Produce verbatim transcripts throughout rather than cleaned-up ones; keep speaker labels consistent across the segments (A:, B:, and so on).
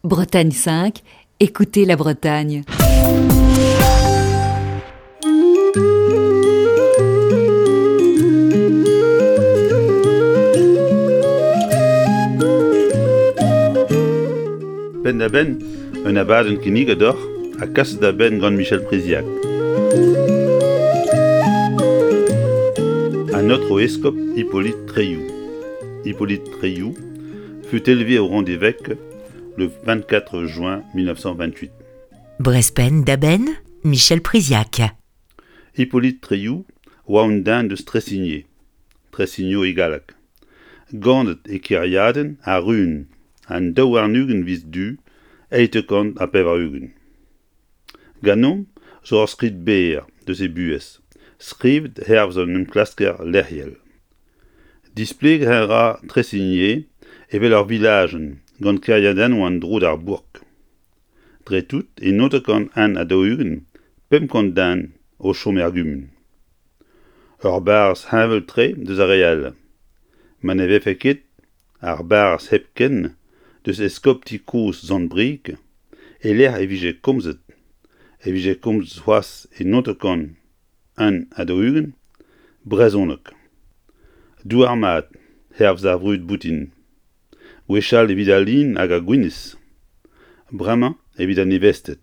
A: Bretagne cinq, écoutez la Bretagne.
B: Penn da benn, un abadenn kinniget deoc'h ha kaset da benn gant Michel Priziac. An aotrou eskob Hippolyte Tréioù. Hippolyte Tréioù fut élevé au rang d'évêque le vingt-quatre juin mille neuf cent vingt-huit.
C: Brezpenn da benn, Michel Priziac.
B: Hippolyte Tréioù oa un den deus Tressigné, Tressignaux e galleg. Ganet e kêriadenn ar Run, an daou warn-ugent viz Du, eizh kant ha pevar-ugent. Ganeomp zo ur skrid berr deus e buhez, skrivet hervez an enklasker lec'hiel. Displeget a ra Tressigné evel ur vilajenn gant kêriadennoù an dro d'ar bourk. Dre tout e naontek kant un ha daou-ugent, pemp kant den o chom er gumun. Ur barrez heñvel-tre deus ar re all. Ma ne vefe ket ar barrez hepken deus eskopti kozh Sant-Brieg, e lec'h e vije komzet, e vije komzet c'hoazh e naontek kant un ha daou-ugent, brezhoneg. Douar mat, hervez ar vrud boutin. Gwechall evit al lin hag ar gwinizh, bremañ evit an nevested.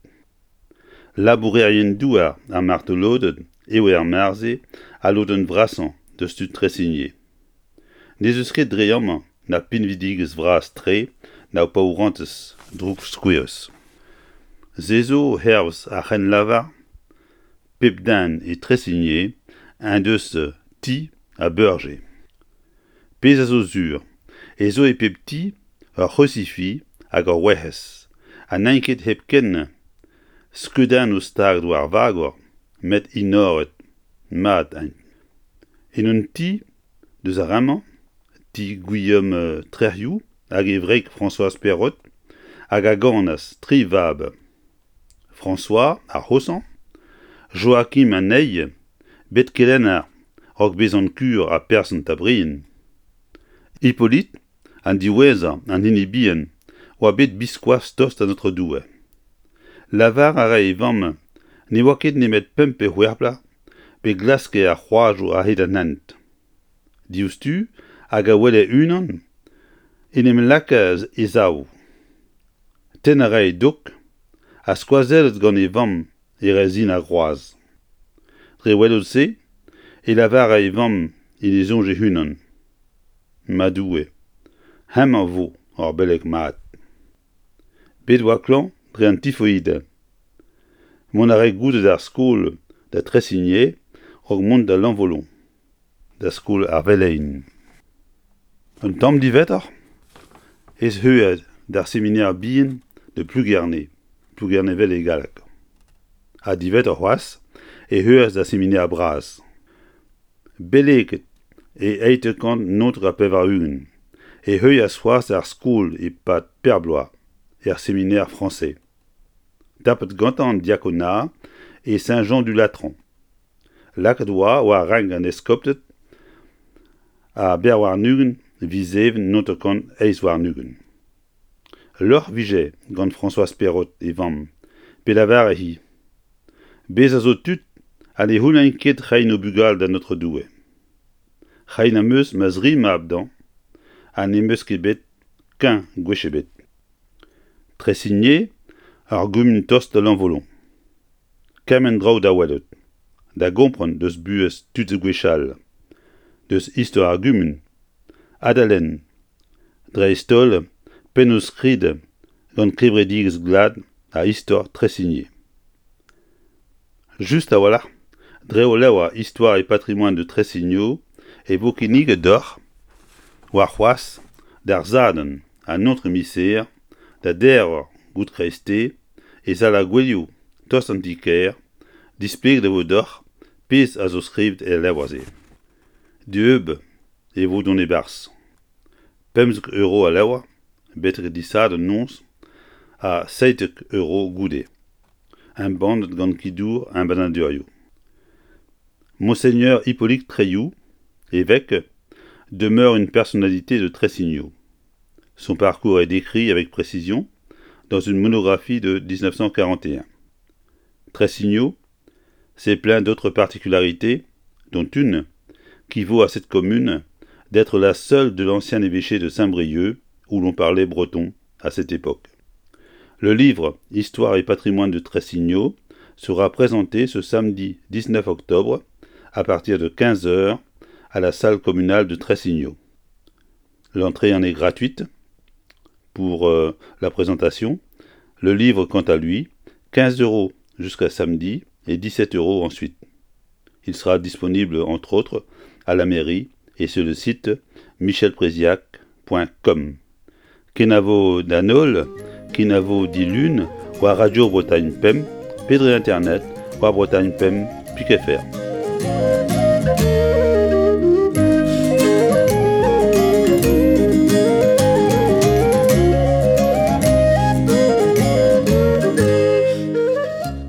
B: Labourerien douar ar martoloded eo er marse a lodenn vrasañ deus tud Tressigné. N'ez eus ket dre amañ na pinvidigezh vras-tre na paourantez droukskouerus. Se zo hervez ar c'hrennlavar pep den e Tressigné en deus ti ha beurje. Pezh a zo sur, e zo e pep ti ur c'hrusifi hag ur werc'hez, ha n'int ket hepken skeudennoù staget war vagor, met enoret mat int. En un ti deus ar ramañ, ti Guillaume Trec'hioù hag e wreg Françoise Perrot, hag a ganas tri vab. François ar C'hosañ, Joachim Anei, bet kelenner raok bezañ kur ha person Tabrien. Hippolyte, an diwezhañ an hini bihan, oa bet biskoazh tost da Notre Doue. Lavar a rae e vamm ne oa ket nemet pemp pe c'hwec'h bloaz pe glaske ar c'hroazoù a-hed an hent. Diouzhtu hag a wele unan en em lakaas e sav. Tenn a rae dok ha skoazellet gant e vamm e rezin ar groaz. Dre welout se e lavare e vamm en e soñj e-unan. Ma Doue, hemañ vo ur beleg mat. Bet oa klañv dre an tifoid. Mont a rae goude d'ar skol da Tressigné raok mont da Lanvolon, da skol ar velein. Un tamm diwezhatoc'h ez heuliad d'ar seminaire bihan de Plougerne, Plougernevel e galleg. Ha diwezhatoc'h c'hoazh e heulias d'ar seminaire bras. Beleget e eizh kant naontek ha pevar-ugent e heulias c'hoazh ar skol e-pad per bloaz er séminaire français. Tapet gantañ an diakonat e Saint-Jean-du-Latran. Lakaet oa war renk an eskopted a berwarn-ugent viz Even naontek kant eizh warn-ugent. Lorc'h vije gant Françoise Perrot e vamm, pe lavare hi. Bez a zo tud ha ne c'houlenn ket reiñ o bugale da Notre Doue. Reiñ am eus ma zri mab dañ, ha n'em eus ket bet kein gwech ebet. Tressigné, ar gumun tost da Lanvolon. Kement draoù da welout, da gompren deus buhez tud gwechall, deus istor ar gumun, ha da lenn, dreist-holl pennoù-skrid gant kevredigezh glad ha istor Tressigné. Just a-walc'h, dre o levr Histoire et patrimoine de Tressignaux e vo kinniget deoc'h warc'hoazh d'ar Sadorn an aotrou Miser da deir eur goude kreisteiz e sal ar gouelioù tost an ti-kêr, displeget e vo deoc'h pezh a zo skrivet el levr-se. Dieub e vo dont e-barzh. Pemzek euro al levr, betek disadorn noz ha seitek euro goude. Embannet gant Kidour embannadurioù. Monseigneur Hippolyte Tréioù, évêque, demeure une personnalité de Tressignaux. Son parcours est décrit avec précision dans une monographie de dix-neuf cent quarante et un. Tressignaux, c'est plein d'autres particularités, dont une qui vaut à cette commune d'être la seule de l'ancien évêché de Saint-Brieuc où l'on parlait breton à cette époque. Le livre Histoire et patrimoine de Tressignaux sera présenté ce samedi dix-neuf octobre à partir de quinze heures à la salle communale de Tressignaux. L'entrée en est gratuite pour, euh, la présentation. Le livre, quant à lui, quinze euros jusqu'à samedi et dix-sept euros ensuite. Il sera disponible, entre autres, à la mairie et sur le site michel priziac point com. Kenavo d'Anol, Kenavo d'Ilune, ou à Radio Bretagne Pemp, Pedre Internet, ou à Bretagne Pemp, Piquet Fer.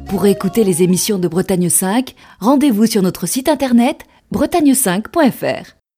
A: Pour écouter les émissions de Bretagne cinq, rendez-vous sur notre site internet bretagne cinq point F R.